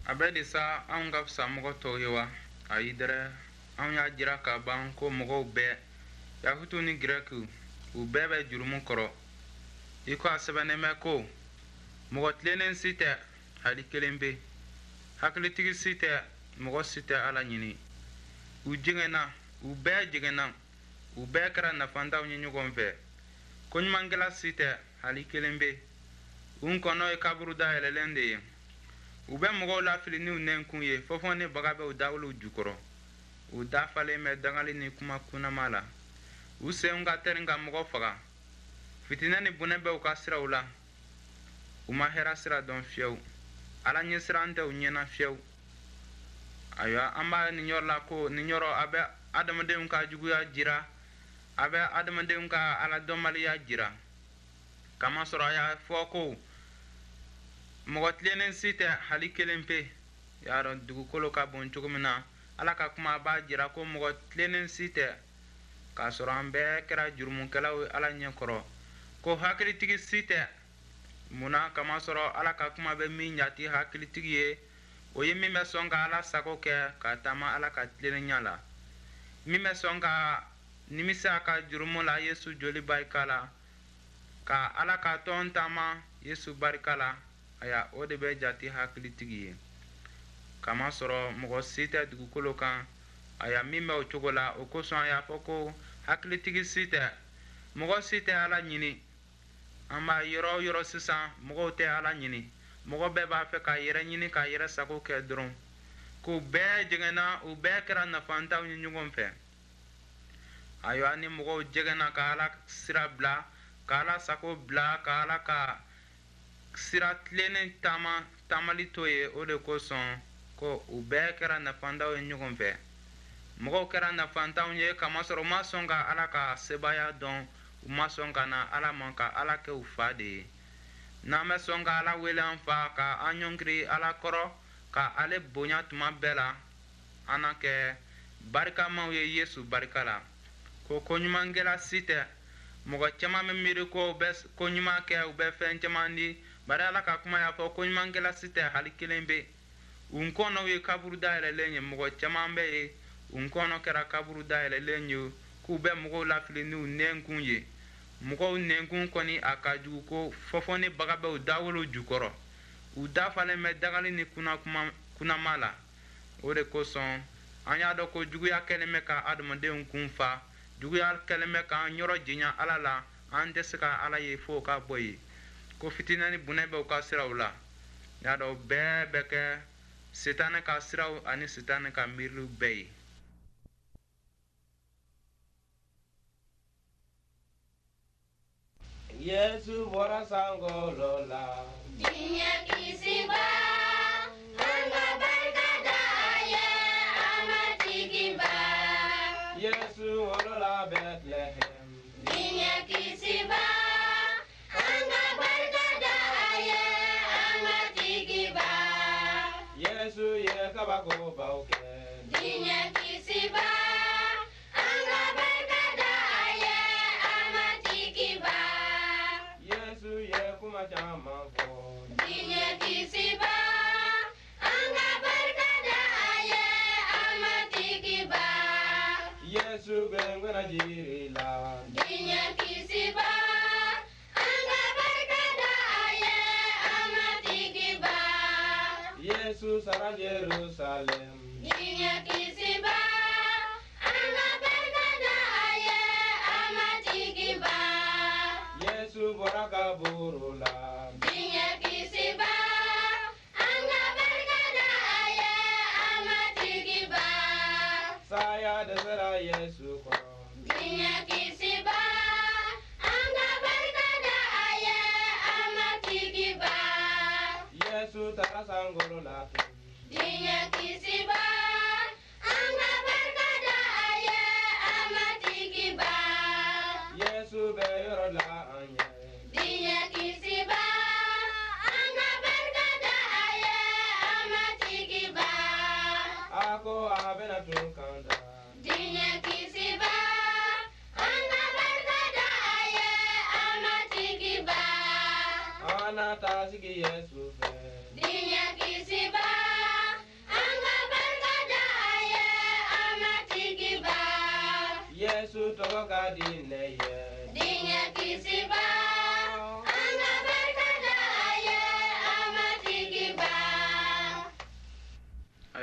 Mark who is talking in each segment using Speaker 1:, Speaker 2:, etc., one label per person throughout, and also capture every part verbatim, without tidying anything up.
Speaker 1: A bɛ di sa, anw ka fisa mɔgɔ tɔw ye wa? Ayi dɛrɛ, anw y'a jira ka ban ko mɔgɔw bɛɛ, Yahutu ni Gɛrɛkiw, u bɛɛ bɛ jurumu kɔrɔ, i ko a sɛbɛnnen bɛ ko: mɔgɔ tilennen si tɛ, hali kelen pe, hakilitigi si tɛ, mɔgɔ si tɛ Ala ɲini. U jɛngɛnna, u bɛɛ jɛngɛnna, u bɛɛ kɛra nafantanw ye ɲɔgɔn fɛ. Koɲumankɛla si tɛ, hali kelen pe. U kɔnɔ ye kaburu dayɛlɛlen de ye. U bɛ mɔgɔw lafili n'u nɛnkun ye, fɔfɔ ni baga bɛ u dawolow jukɔrɔ. U dafalen bɛ dangali ni kuma kunnama la. U senw ka tɛrin ka mɔgɔ faga. Fitinɛ ni bɔnɛ bɛ u ka siraw la. U ma hɛrɛ sira dɔn fiyewu. Ala ɲɛsiran tɛ u ɲɛna fiyewu. Ayiwa, an b'a nin yɔrɔ la ko nin yɔrɔ a bɛ adamadenw ka juguya jira, a bɛ adamadenw ka ala dɔnbaliya jira, kamasɔrɔ a y'a fɔ ko mɔgɔ tilennen si tɛ, hali kelen pe. Y'a dɔn dugukolo ka bon cogo min na, Ala ka kuma b'a jira ko mɔgɔ tilennen si tɛ, k'a sɔrɔ an bɛɛ kɛra jurumukɛlaw ye Ala ɲɛ kɔrɔ. Ko hakilitigi si tɛ. Munna? Kamasɔrɔ Ala ka kuma bɛ min jate hakilitigi ye, o ye min bɛ sɔn ka Ala sago kɛ, ka taama Ala ka tilennenya la, min bɛ sɔn ka nimisa ka jurumu la Yesu joli barika la, ka Ala ka tɔn taama Yesu barika la. Aya, o de bɛ jate hakilitigi ye, kamasɔrɔ mɔgɔ si tɛ dugukolo kan, aya, min bɛ o cogo la. O kosɔn a y'a fɔ ko hakilitigi si tɛ, mɔgɔ si tɛ Ala ɲini. An b'a yɔrɔ o yɔrɔ sisan, mɔgɔw tɛ Ala ɲini. Mɔgɔ bɛɛ b'a fɛ ka yɛrɛ ɲini, ka yɛrɛ sago kɛ dɔrɔn. K'u bɛɛ jɛngɛnna, u bɛɛ kɛra nafantanw ye ɲɔgɔn fɛ. Ayiwa, ni mɔgɔw jɛngɛnna ka Ala sira bila, ka Ala sago bila, ka Ala ka sira tilennen taama taamali to ye, o de kosɔn ko u bɛɛ kɛra nafantanw ye ɲɔgɔn fɛ. Mɔgɔw kɛra nafantanw ye kamasɔrɔ u ma sɔn ka Ala ka sebaaya dɔn, u ma sɔn ka na Ala ma, ka Ala kɛ u fa de ye. N'an bɛ sɔn ka Ala wele an fa, ka an ɲɔngiri Ala kɔrɔ, ka ale bonya tuma bɛɛ la, an na kɛ barikamaw ye Yesu barika la. Ko koɲumankɛla si tɛ. Mɔgɔ caman bɛ miiri ko u bɛ koɲuman kɛ, u bɛ fɛn caman di, bari Ala ka kuma y'a fɔ koɲumankɛla si tɛ, hali kelen bɛ. U kɔnɔw ye kaburu dayɛlɛlen ye. Mɔgɔ caman bɛ yen, u kɔnɔ kɛra kaburu dayɛlɛlen ye, k'u bɛ mɔgɔw lafili n'u nɛnkun ye. Mɔgɔw nɛnkun kɔni, a ka jugu ko fɔfɔ ni baga bɛ u dawolo jukɔrɔ. U dafalen bɛ dagali ni kunnakuma kunnama la. O de kosɔn an y'a dɔn ko juguya kɛlen bɛ ka adamadenw kun fa, juguya kɛlen bɛ k'an yɔrɔ janya Ala la. An tɛ se ka Ala ye fo ka bɔ yen. Ko fitinɛ ni bunɛ bɛ u ka siraw la. Y'a dɔn bɛɛ bɛ kɛ Sitanɛ ka siraw ani Sitanɛ ka miiriliw bɛɛ ye.
Speaker 2: Yesu bɔra sankolo la.
Speaker 3: Diɲɛ kisiba, an ka barika da a ye, an Matigiba.
Speaker 2: Yesu wolola Bɛtilɛhɛm.
Speaker 3: Diɲɛ kisiba, an ka barika da a ye, an Matigiba.
Speaker 2: Yesu ye kabakobaw kɛ.
Speaker 3: Diɲɛ kisiba, an ka barika da a ye, an Matigiba.
Speaker 2: Yesu ye kuma caman fɔ.
Speaker 3: Diɲɛ kisiba, an ka barika da a ye, an Matigiba.
Speaker 2: Yesu gbɛngbɛnna jiri la.
Speaker 3: Diɲɛ kisiba, an ka barika da a ye, an Matigiba.
Speaker 2: Yesu sara Jerusalɛm.
Speaker 3: Diɲɛ kisiba, an ka barika da a ye, an Matigiba.
Speaker 2: Yesu bɔra kaburu la.
Speaker 3: Diɲɛ kisiba, an ka barika da a ye, an Matigiba.
Speaker 2: Saya dɛsɛra Yesu kɔrɔ.
Speaker 3: Diɲɛ kisiba, an ka barika da a ye, an Matigiba.
Speaker 2: Yesu taara sankolo la tun.
Speaker 3: Diɲɛ kisiba, an ka barika da a ye, an Matigiba.
Speaker 2: Yesu bɛ yɔrɔ la an ye.
Speaker 3: Diɲɛ kisiba, an ka barika da a ye, an Matigiba.
Speaker 2: A ko a bɛna tun kan da.
Speaker 3: Diɲɛ kisiba, an ka barika da a ye, an Matigiba.
Speaker 2: An na taa sigi Yesu fɛ.
Speaker 3: Diɲɛ kisiba,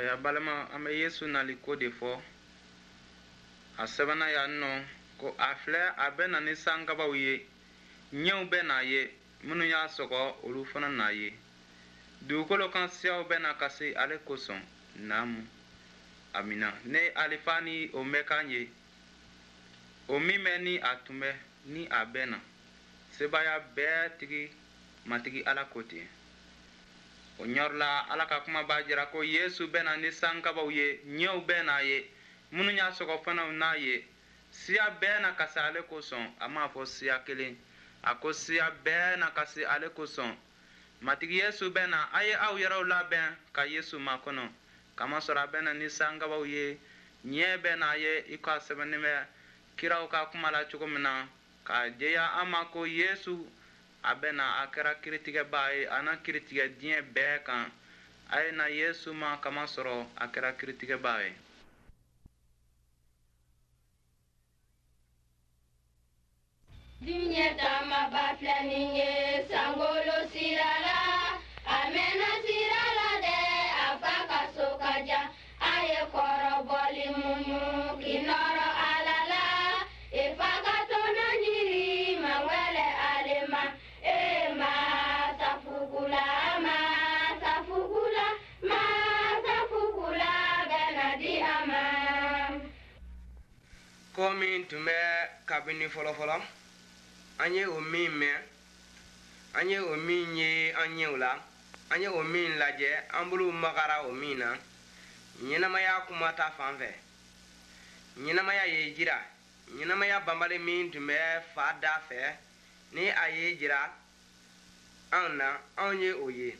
Speaker 1: Aya balima, an bɛ Yesu nali ko de fɔ. A sɛbɛnna yan nɔ ko a filɛ, a bɛ na ni sankabaw ye, ɲɛw bɛ n'a ye, minnu y'a sɔgɔ olu fana n'a ye. Dugukolo kan siyaw bɛ na kasi ale kosɔn. Naamu, amina. Ne Alifa ni Omega ye, o min bɛ ni a tun bɛ ni a bɛ na, sebaaya bɛɛ tigi Matigi Ala ko ten. O yɔrɔ la, Ala ka kuma b'a jira ko Yesu bɛ na ni sankabaw ye, ɲɛw bɛ n'a ye, minnu y'a sɔgɔ fana n'a ye. Siya bɛɛ na kasi ale kosɔn. A m'a fɔ siya kelen, a ko siya bɛɛ na kasi ale kosɔn. Matigi Yesu bɛ na. A ye aw yɛrɛw labɛn ka Yesu makɔnɔ, kamasɔrɔ a bɛ na ni sankabaw ye, ɲɛ bɛ n'a ye, i ko a sɛbɛnnen bɛ kiraw ka kuma la cogo min na, k'a jɛya an ma ko Yesu a bɛ na, a kɛra kiritigɛbaa ye, a na kiritigɛ diɲɛ bɛɛ kan. A ye na Yesu ma, kamasɔrɔ a kɛra kiritigɛbaa ye.
Speaker 3: Diɲɛ taamaba filɛ nin ye sankolo sira la, a mɛnna sira la dɛ, a fa ka so ka jan. A ye kɔrɔbɔli muɲu k'i nɔrɔ Ala la, i fa ka tɔnɔ ɲini mawɛlɛ ale ma. E masafugula, masafugula, masafugula bɛ na di a ma.
Speaker 2: Ko min tun bɛ kabini fɔlɔfɔlɔ, an ye o min mɛn, an ye o min ye an ɲɛw la, an ye o min lajɛ, an bolow magara o min na, ɲɛnamaya kuma ta fan fɛ. Ɲɛnamaya ye jira, ɲɛnamaya banbali min tun bɛ fa da fɛ, ni a ye jira anw na, anw ye o ye.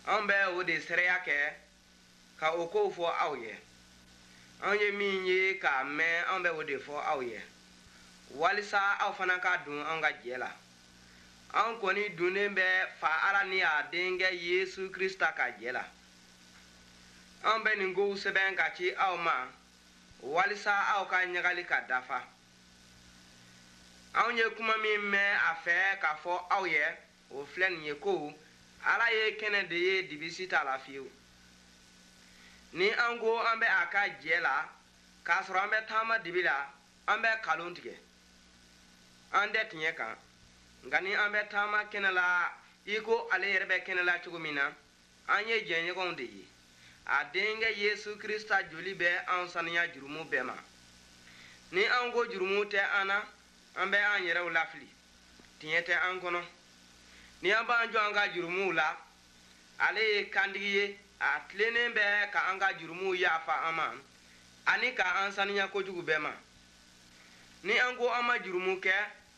Speaker 2: Anw bɛ o de seereya kɛ ka o kow fɔ aw ye. Anw ye min ye k'a mɛn, anw bɛ o de fɔ aw ye, walisa aw fana ka don an ka jɛ la. Anw kɔni donnen bɛ fa Ala ni a denkɛ Yesu Krista ka jɛ la. Anw bɛ nin kow sɛbɛn ka ci aw ma, walisa aw ka ɲagali ka dafa. Anw ye kuma min mɛn a fɛ k'a fɔ aw ye, o filɛ nin ye ko Ala ye kɛnɛ de ye, dibisi t'a la fiyewu. Ni an ko an bɛ a ka jɛ la, k'a sɔrɔ an bɛ taama dibi la, an bɛ nkalon tigɛ, an tɛ tiɲɛ kan. Nka ni an bɛ taama kɛnɛ la i ko ale yɛrɛ bɛ kɛnɛ la cogo min na, an ye jɛɲɔgɔnw de ye. A denkɛ Yesu Krista joli bɛ an saniya jurumu bɛɛ ma. Ni an ko jurumu tɛ an na, an bɛ an yɛrɛw lafili, tiɲɛ tɛ an kɔnɔ. Ni an b'an jɔ an ka jurumuw la, ale ye kantigi ye, a tilennen bɛ ka an ka jurumuw yafa an ma ani ka an saniya kojugu bɛɛ ma. Ni an ko an ma jurumu kɛ,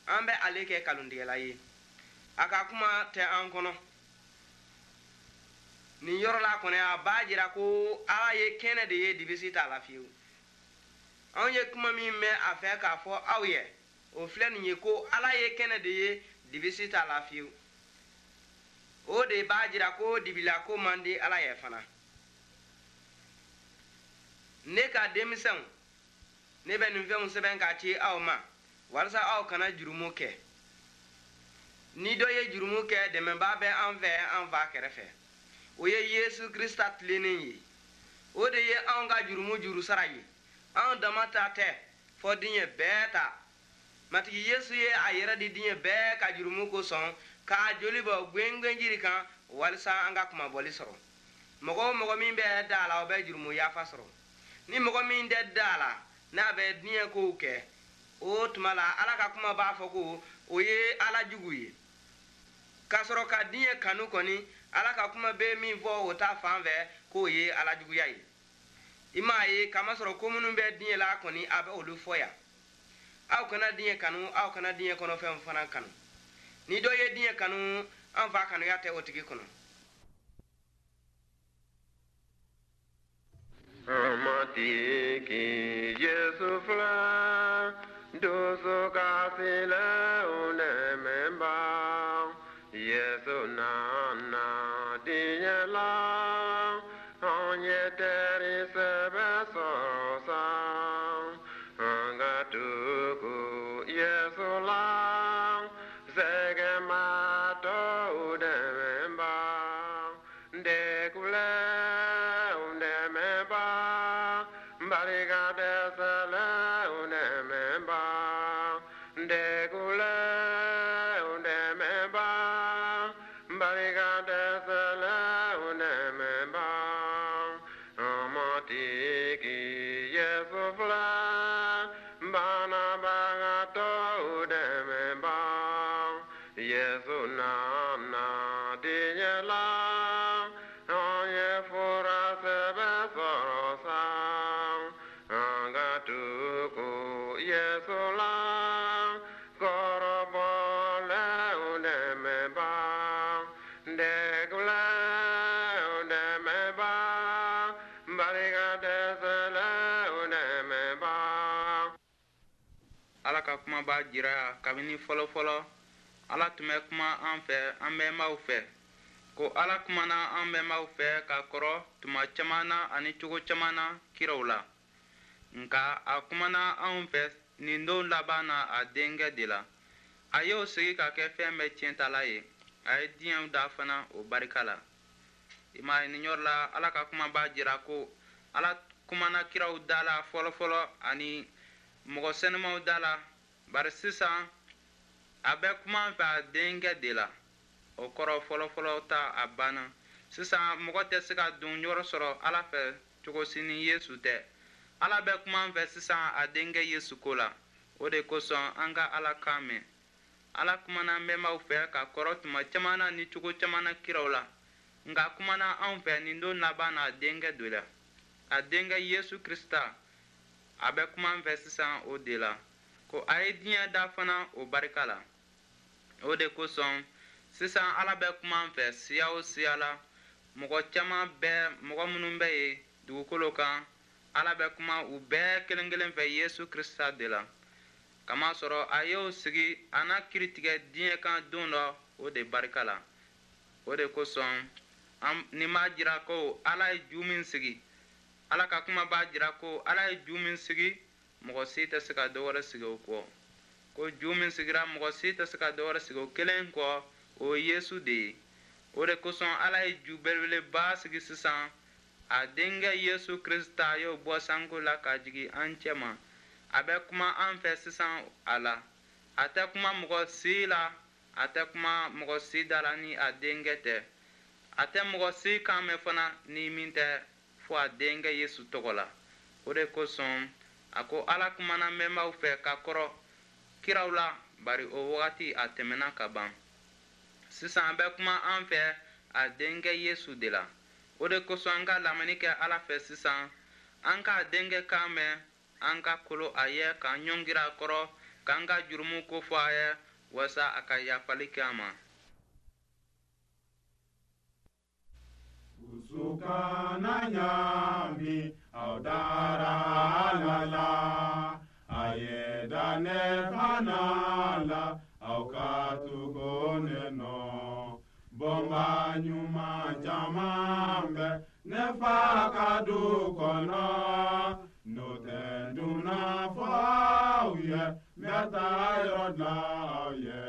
Speaker 2: an bɛ ale kɛ nkalontigɛla ye, a ka kuma tɛ an kɔnɔ. Nin yɔrɔ la kɔni, a b'a jira ko Ala ye kɛnɛ de ye, dibisi t'a la fiyewu. Anw ye kuma min mɛn a fɛ k'a fɔ aw ye, o filɛ nin ye ko Ala ye kɛnɛ de ye, dibisi t'a la fiyewu. O de b'a jira ko dibila ko man di Ala ye fana. Ne ka denmisɛnw, ne bɛ nin fɛnw sɛbɛn k'a ci aw ma, walasa aw kana jurumu kɛ. Ni dɔ ye jurumu kɛ, dɛmɛbaa bɛ an fɛ an fa kɛrɛfɛ, o ye Yesu Krista tilennen ye. O de ye anw ka jurumu jurusara ye. Anw dama ta tɛ, fɔ diɲɛ bɛɛ ta. Matigi Yesu ye a yɛrɛ di diɲɛ bɛɛ ka jurumu kosɔn, k'a joli bɔ gwengwenjiri kan, walisa an ka kunmabɔli sɔrɔ. Mɔgɔ o mɔgɔ min bɛ da a la, o bɛ jurumu yafa sɔrɔ. Ni mɔgɔ min tɛ da a la, n'a bɛ diɲɛ kow kɛ, o tuma la Ala ka kuma b'a fɔ ko o ye Ala jugu ye. K'a sɔrɔ ka diɲɛ kanu kɔni, Ala ka kuma bɛ min fɔ o ta fan fɛ, k'o ye Ala juguya ye. I m'a ye, kamasɔrɔ ko minnu bɛ diɲɛ la kɔni, a bɛ olu fɔ yan. Aw kana diɲɛ kanu, aw kana diɲɛ kɔnɔfɛnw fana kanu. Ni dɔ ye diɲɛ kanu, an fa kanuya tɛ o tigi kɔnɔ.
Speaker 4: Matigi Yesu filɛ, dusukasilenw dɛmɛba. Yesu nana diɲɛ la, anw ye teri sɛbɛ sɔrɔ sa. An ka tugu Yesu la, sɛgɛnbaatɔw dɛmɛba, degunlenw dɛmɛba. Segulɛw dɛmɛba, barika dɛsɛlɛw dɛmɛba.
Speaker 1: Ala ka kuma b'a jira kabini fɔlɔfɔlɔ Ala tun bɛ kuma an fɛ an bɛnbaw fɛ ko Ala kumana an bɛnbaw fɛ ka kɔrɔ tuma caman na ani cogo caman na kiraw la nka a kumana anw fɛ nin don laban na a denkɛ de la a y'o sigi ka kɛ fɛn bɛɛ tiɲɛtala ye a ye diɲɛw da fana o barika la i m'a ye nin yɔrɔ la Ala ka kuma b'a jira ko Ala kumana kiraw da la fɔlɔfɔlɔ ani mɔgɔ sɛnɛmaw da la bari sisan a bɛ kuma an fɛ a denkɛ de la o kɔrɔ fɔlɔfɔlɔ ta a banna sisan mɔgɔ tɛ se ka don yɔrɔ sɔrɔ Ala fɛ cogo si ni Yesu tɛ Ala bɛ kuma an fɛ sisan a denkɛ Yesu ko la o de kosɔn an ka Ala kan mɛn Ala kumana an bɛnbaw fɛ ka kɔrɔ tuma caman na ni cogo caman na kiraw la nka kumana anw fɛ nin don laban na a denkɛ de la a denkɛ Yesu Krisita a bɛ kuma an fɛ sisan o de la ko a ye diɲɛ da fana o barika la o de kosɔn sisan Ala bɛ kuma an fɛ siya o siya la mɔgɔ caman bɛ mɔgɔ minnu bɛ yen dugukolo kan Ala bɛ kuma u bɛɛ kelen kelen fɛ Yesu Krisita de la kamasɔrɔ a y'o sigi a n'a kiiri tigɛ diɲɛ kan don dɔ o de barika la o de kosɔn nin b'a jira ko Ala ye ju min sigi Ala ka kuma b'a jira ko Ala ye ju min sigi mɔgɔ si tɛ se ka dɔ wɛrɛ sigi o kɔ ko ju min sigira mɔgɔ si tɛ se ka dɔ wɛrɛ sigi o kelen kɔ o ye Yesu de ye o de kosɔn Ala ye ju belebeleba sigi sisan a denkɛ Yesu Krisita y'o bɔ sanko la ka jigin an cɛma a bɛ kuma an fɛ sisan a la a tɛ kuma mɔgɔ si la a tɛ kuma mɔgɔ si da la ni a denkɛ tɛ a tɛ mɔgɔ si kan mɛn fana ni min tɛ fo a denkɛ Yesu tɔgɔ la o de kosɔn a ko Ala kumana bɛnbaw fɛ ka kɔrɔ kiraw la bari o wagati a tɛmɛna ka ban sisan a bɛ kuma an fɛ a denkɛ Yesu de la o de kosɔn an ka lamɛnni kɛ Ala fɛ sisan an k'a denkɛ kan mɛn an ka kolo a ye k'an ɲɔngiri a kɔrɔ k'an ka jurumu ko fɔ a ye walasa a ka yafali kɛ an ma.
Speaker 5: Usukana ɲami aw dara Ala la a ye da ne fana la aw ka tugu ne nɔ bɔnba ɲuman caman bɛ ne fa ka du kɔnɔ n'o tɛ dunna fɔ aw ye n bɛ taa yɔrɔ dilan aw ye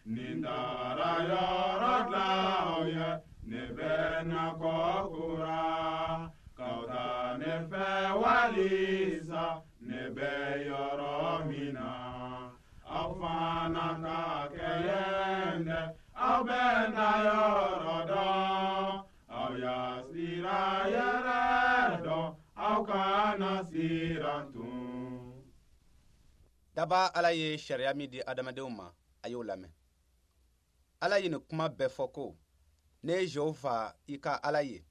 Speaker 5: ni n taara yɔrɔ dilan aw ye ne bɛ na kɔ kura k'aw ta ne fɛ walisa ne bɛ yɔrɔ min na aw fana ka kɛ yen dɛ aw bɛ na yɔrɔ dɔn aw y'a sira yɛrɛ dɔn aw kana siran tun.
Speaker 6: Daba Ala ye sariya min di adamadenw ma a y'o lamɛn. Ala ye nin kuma bɛɛ fɔ ko ne ye Jehova i ka Ala ye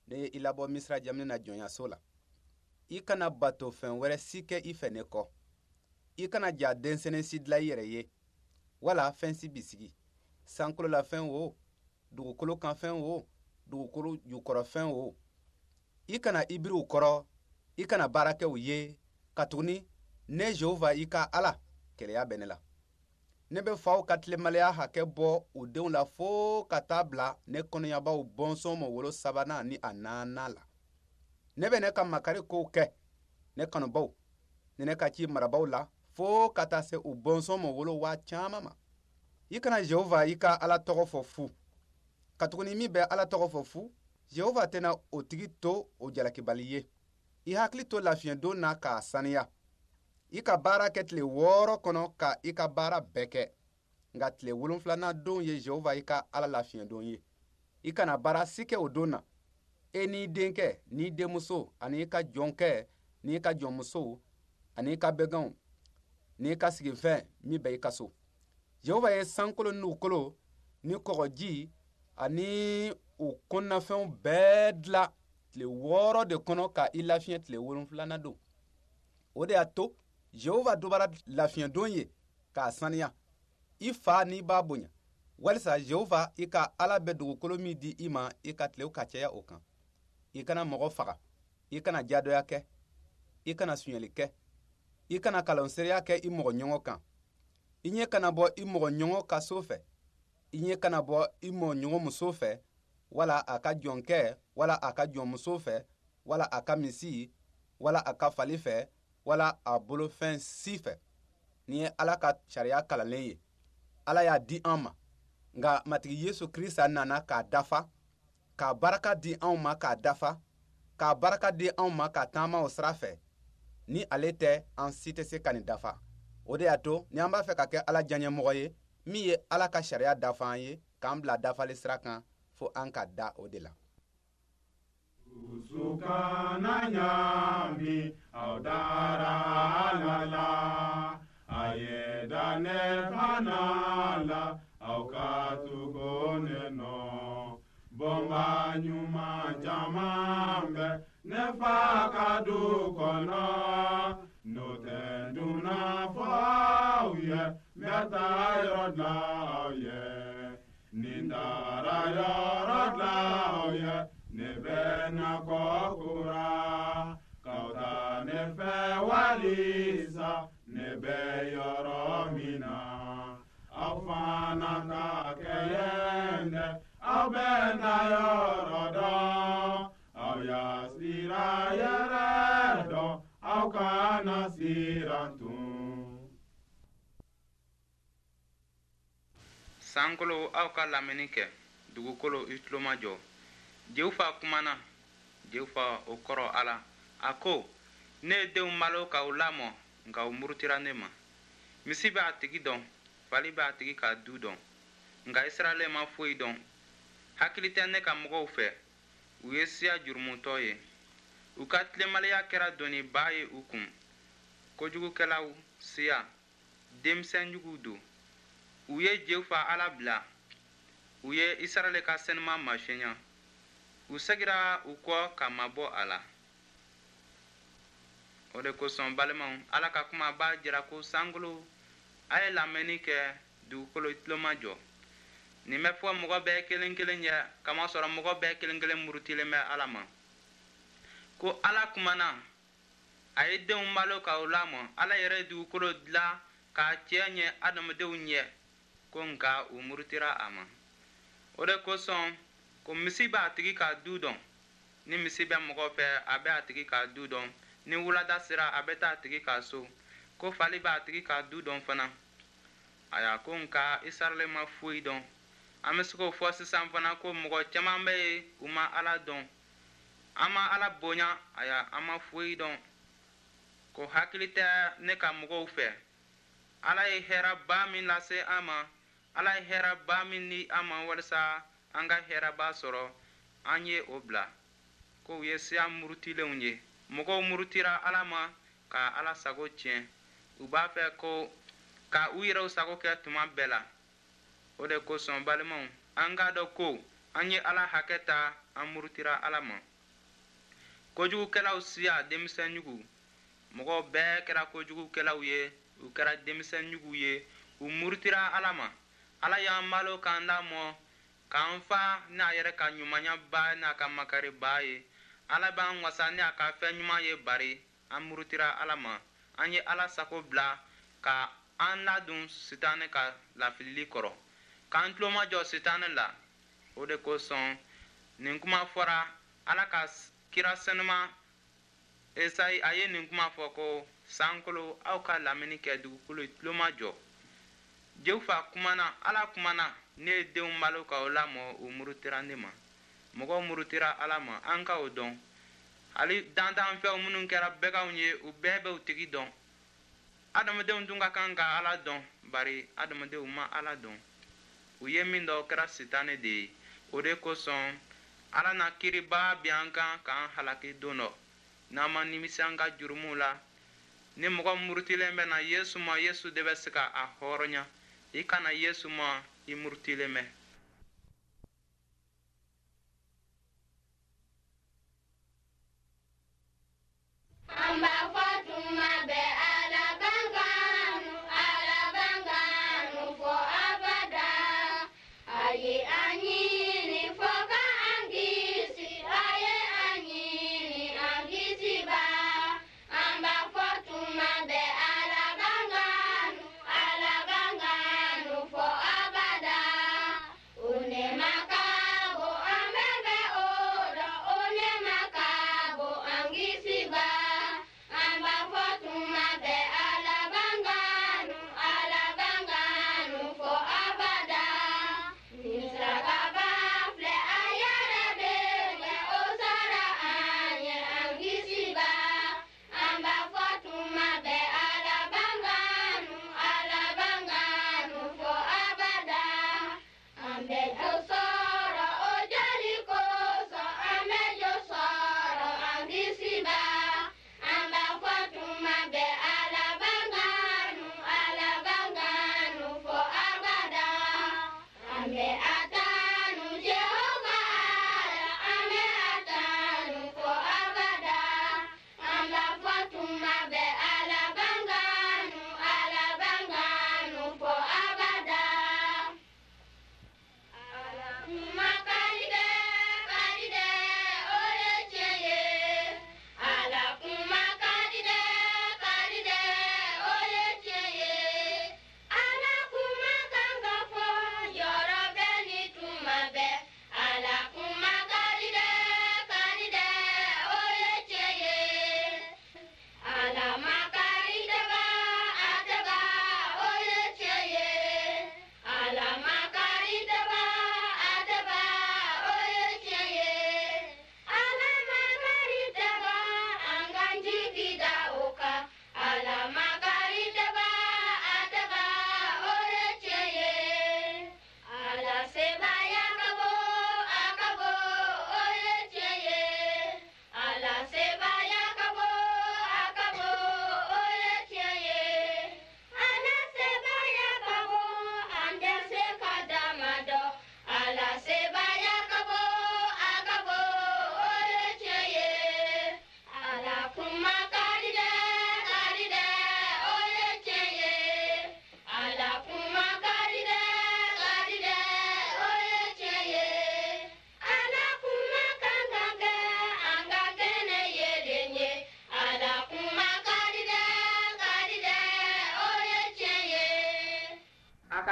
Speaker 6: ne ye i labɔ Misira jamana na jɔnyaso la. I kana bato fɛn wɛrɛ si kɛ i fɛ ne kɔ. I kana ja denmisɛnnin si dilan i yɛrɛ ye wala fɛn si bisigi sankolo la fɛn o dugukolo kan fɛn o dugukolo jukɔrɔ fɛn o. I kana i biri u kɔrɔ i kana baara kɛ u ye katuguni ne Jehova i ka Ala keleya bɛ ne la. Ne bɛ faw ka tilenbaliya hakɛ bɔ u denw la fo ka taa bila ne kɔnɔyabaw bɔnsɔn mɔ wolo sabanan ni a naaninan la. Ne bɛ ne ka makari kow kɛ ne kanubaw ni ne ka ci marabaw la fo ka taa se u bɔnsɔn mɔ wolo waa caman ma. I kana Jehova i ka Ala tɔgɔ fɔ fu katuguni min bɛ Ala tɔgɔ fɔ fu Jehova tɛna o tigi to o jalakibali ye. I hakili to lafiɲɛdon na k'a saniya. I ka baara kɛ tile wɔɔrɔ kɔnɔ ka i ka baara bɛɛ kɛ nka tile wolonfilanan don ye Jehova i ka Ala lafiɲɛdon ye. I kana baara si kɛ o don na e n'i denkɛ n'i denmuso ani i ka jɔnkɛ n'i ka jɔnmuso ani i ka bɛganw n'i ka sigifɛn min bɛ i ka so. Jehova ye sankolo ni dugukolo ni kɔgɔji ani u kɔnɔnafɛnw bɛɛ dilan tile wɔɔrɔ de kɔnɔ ka i lafiɲɛ tile wolonfilanan don. O de y'a to Jehova dubara lafiɲɛdon ye k'a saniya. I fa n'i ba bonya Walisa Jehova i ka Ala bɛ dugukolo min di i ma, i ka tilew ka caya o kan. I kana mɔgɔ faga, i kana jadɔya kɛ, i kana sonyɛli kɛ, i kana kalanseereya kɛ i mɔgɔ ɲɔgɔn kan. I ɲɛ kana bɔ i mɔgɔ ɲɔgɔn ka so fɛ, i ɲɛ kana bɔ i mɔgɔ ɲɔgɔn muso fɛ, wala a ka jɔnkɛ, wala a ka jɔnmuso fɛ, wala a ka misi, wala a ka fali fɛ, wala a bolofɛn si fɛ. Nin ye Ala ka sariya kalanlen ye. Ala y'a di an ma. Nka Matigi Yesu Krista nana k'a dafa, k'a baraka di anw ma k'a dafa, k'a baraka di anw ma ka taama o sira fɛ. Ni ale tɛ, an si tɛ se ka nin dafa. O de y'a to ni an b'a fɛ ka kɛ Ala diyaɲɛmɔgɔ ye, min ye Ala ka sariya dafa an ye, k'an bila dafali sira kan, fo an ka da o de la.
Speaker 5: Dusu kana ɲaami, aw dara Ala la. A ye da ne fana la, aw ka tugu ne nɔ. Bɔnba ɲuman caman bɛ ne fa ka du kɔnɔ. N'o tɛ dunan fɔ aw ye, n bɛ taa yɔrɔ dilan aw ye. Ni n taara yɔrɔ dilan aw ye, ne bɛ na kɔ kura. K'aw ta ne fɛ walisa ne bɛ yɔrɔ min na. Aw fana ka kɛ yen dɛ, aw bɛ na yɔrɔ dɔn. Aw y'a sira yɛrɛ dɔn, aw kana siran tun.
Speaker 1: Sankolo, aw ka lamɛnni kɛ, dugukolo, i tulo majɔ. Jehova kumana, Jehova o kɔrɔ Ala. A ko, ne ye denw balo k'aw lamɔ, nka u murutira ne ma. Misi bɛ a tigi dɔn, fali bɛ a tigi ka du dɔn, nka Israɛl ma foyi dɔn. Hakili tɛ ne ka mɔgɔw fɛ, u ye siya jurumutɔ ye. U ka tilenbaliya kɛra doniba ye u kun. Kojugukɛlaw siya, denmisɛnjuguw don. U ye Jehova Ala bila, u ye Israɛl ka senuma masɔnya. U segira u kɔ ka mabɔ a la. O de kosɔn balimaw, Ala ka kuma b'a jira ko sankolo, a ye lamɛnni kɛ, dugukolo tulo majɔ. Nin bɛ fɔ mɔgɔ bɛɛ kelen kelen ye, kamasɔrɔ mɔgɔ bɛɛ kelen kelen murutilen bɛ Ala ma. Ko Ala kumana, a ye denw balo k'aw lamɔ. Ala yɛrɛ ye dugukolo dilan k'a cɛ ɲɛ adamadenw ɲɛ, ko nka u murutira a ma. O de kosɔn ko misi b'a tigi ka du dɔn. Ni misi bɛ mɔgɔ fɛ, a bɛ a tigi ka du dɔn. Ni wulada sera, a bɛ taa a tigi ka so. Ko fali b'a tigi ka du dɔn fana. Aya, ko nka Israɛl ma foyi dɔn. An bɛ se k'o fɔ sisan fana ko mɔgɔ caman bɛ yen, u ma Ala dɔn. An ma Ala bonya, aya, an ma foyi dɔn. Ko hakili tɛ ne ka mɔgɔw fɛ. Ala ye hɛrɛba min lase an ma, Ala ye hɛrɛba min di an ma walisa an ka hɛrɛba sɔrɔ, an ye o bila. Ko u ye siya murutilenw ye. Mɔgɔw murutira Ala ma ka Ala sago tiɲɛ. U b'a fɛ ko ka u yɛrɛw sago kɛ tuma bɛɛ la. O de kosɔn balimaw, an k'a dɔn ko an ye Ala hakɛ ta, an murutira Ala ma. Kojugukɛlaw siya, denmisɛnjugu. Mɔgɔw bɛɛ kɛra kojugukɛlaw ye, u kɛra denmisɛnjuguw ye, u murutira Ala ma. Ala y'an balo k'an lamɔ, k'an fa n'a yɛrɛ ka ɲumanyaba n'a ka makariba ye. Ala b'an wasa ni a ka fɛn ɲuman ye, bari an murutira Ala ma. An ye Ala sago bila ka an ladon Sitanɛ ka lafilili kɔrɔ, k'an tulo majɔ Sitanɛ la. O de kosɔn nin kuma fɔra Ala ka kira senuma Esayi, a ye nin kuma fɔ ko sankolo, aw ka lamɛnni kɛ, dugukolo tulo majɔ. Jehova kumana, Ala kumana, ne ye denw balo k'aw lamɔ, u murutira ne ma. Mɔgɔw murutira Ala ma, an ka o dɔn. Hali dantanfɛnw minnu kɛra bɛganw ye, u bɛɛ bɛ u tigi dɔn. Adamadenw dun ka kan ka Ala dɔn, bari adamadenw ma Ala dɔn. U ye min dɔn, o kɛra Sitanɛ de ye. O de kosɔn Ala na kiiriba bin an kan k'an halaki don dɔ. N'an ma nimisi an ka jurumuw la, ni mɔgɔ murutilen bɛ na Yesu ma, Yesu de bɛ se ka a hɔrɔnya. I kana Yesu ma, i murutilen bɛ.
Speaker 3: An b'a fɔ tuma bɛɛ Ala b'an kanu, Ala b'an kanu fo abada.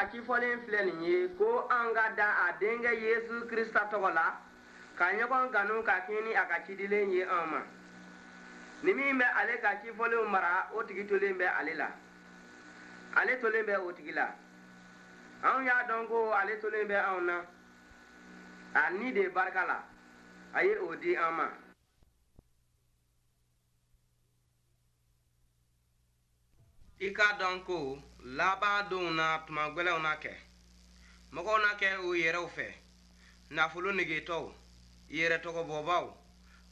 Speaker 2: ka cifɔlen filɛ nin ye ko an ka da a denkɛ Yesu Krista tɔgɔ la ka ɲɔgɔn kanu ka kɛɲɛ ni a ka cidilen ye an ma. Ni min bɛ ale ka cifɔlenw mara, o tigi tolen bɛ ale la, ale tolen bɛ o tigi la. Anw y'a dɔn ko ale tolen bɛ anw na a ni de barika la, a ye o di an ma. I k'a dɔn ko laban donw na tuma gwɛlɛnw na kɛ. Mɔgɔw na kɛ u yɛrɛw fɛ, nafolo negetɔw, yɛrɛtɔgɔbɔbaw,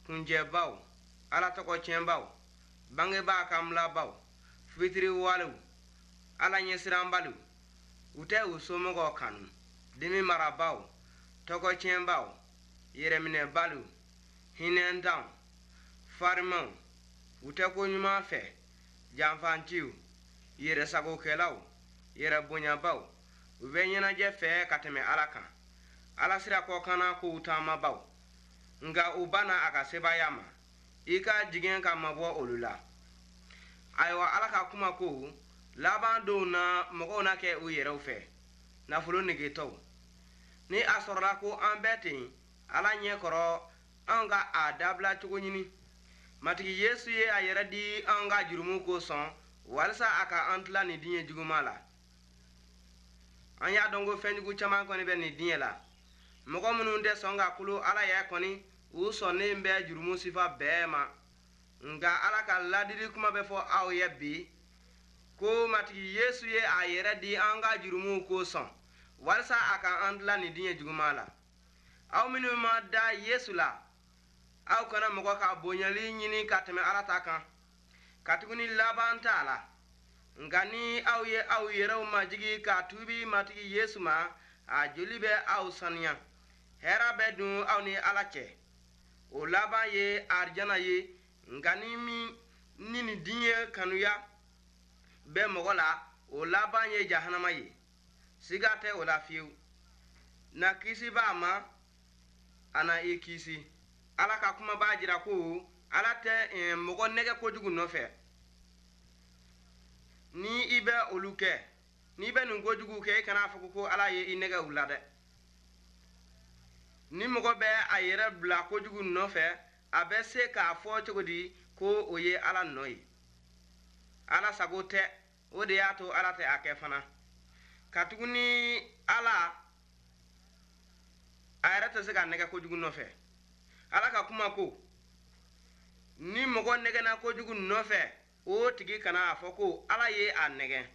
Speaker 2: kunjɛbaw, ala tɔgɔ tiɲɛbaw, bangebaa kanbilabaw, fitiriwalew, ala ɲɛsiranbaliw, u tɛ u somɔgɔw kanu, dimi marabaw, tɔgɔ tiɲɛbaw, yɛrɛminɛbaliw, hinɛntanw, farimanw, u tɛ ko ɲuman fɛ, janfanciw, yɛrɛsagokɛlaw, yɛrɛbonyabaw, u bɛ ɲɛnajɛ fɛ ka tɛmɛ ala kan, ala sira kɔkanna kow taamabaw, nka u banna a ka sebaaya ma. I ka jigin ka mabɔ olu la. Ayiwa, ala ka kuma ko laban donw na mɔgɔw na kɛ u yɛrɛw fɛ, nafolo negetɔw. Ni a sɔrɔla ko an bɛɛ ten ala ɲɛ kɔrɔ, an ka a dabila cogo ɲini. Matigi Yesu ye a yɛrɛ di an ka jurumu kosɔn walisa a ka an tila nin diɲɛ juguman la. An y'a dɔn ko fɛnjugu caman kɔni bɛ nin diɲɛ la. Mɔgɔ minnu tɛ sɔn ka kolo ala yɛrɛ kɔni, u sɔnnen bɛ jurumu sifa bɛɛ ma. Nka ala ka ladili kuma bɛ fɔ aw ye bi ko Matigi Yesu ye a yɛrɛ di an ka jurumuw kosɔn walisa a ka an tila nin diɲɛ juguman la. Aw minnu ma da Yesu la, aw kana mɔgɔ ka bonyali ɲini ka tɛmɛ ala ta kan, katuguni laban t'a la. Nka ni aw ye aw yɛrɛw majigi ka tuubi Matigi Yesu ma, a joli bɛ aw saniya, hɛrɛ bɛ dun aw ni ala cɛ. O laban ye arijana ye. Nka ni min ni nin diɲɛ kanuya bɛ mɔgɔ la, o laban ye jahanama ye. Siga tɛ o la fiyewu. Na kisi b'a ma, a na i kisi. Ala ka kuma b'a jira ko ala tɛ mɔgɔ nɛgɛ kojugu nɔfɛ. Ni i bɛ olu kɛ, n'i bɛ nin kojugu kɛ, i kana fɔ ko ala ye i nɛgɛ u la dɛ. Ni mɔgɔ bɛ a yɛrɛ bila kojugu nɔfɛ, a bɛ se k'a fɔ cogo di ko o ye ala nɔ ye? Ala sago tɛ, o de y'a to ala tɛ a kɛ fana. Katuguni ala a yɛrɛ tɛ se ka nɛgɛ kojugu nɔfɛ. Ala ka kuma ko ni mɔgɔ nɛgɛnna kojugu nɔfɛ, o tigi kana a fɔ ko ala ye a nɛgɛ.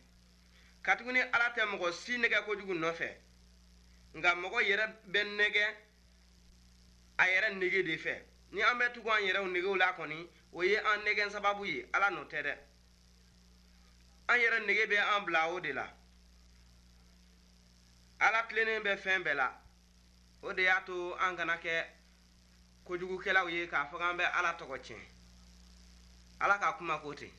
Speaker 2: Katuguni ala tɛ mɔgɔ si nɛgɛ kojugu nɔfɛ, nka mɔgɔ yɛrɛ bɛ nɛgɛ a yɛrɛ nege de fɛ. Ni an bɛ tugu an yɛrɛw negew la kɔni, o ye an nɛgɛn sababu ye, ala nɔ tɛ dɛ. An yɛrɛ nege bɛ an bila o de la. Ala tilennen bɛ fɛn bɛɛ la. O de y'a to an kana kɛ kojugukɛlaw ye k'a fɔ k'an bɛ ala tɔgɔ tiɲɛ. Ala ka kuma ko ten.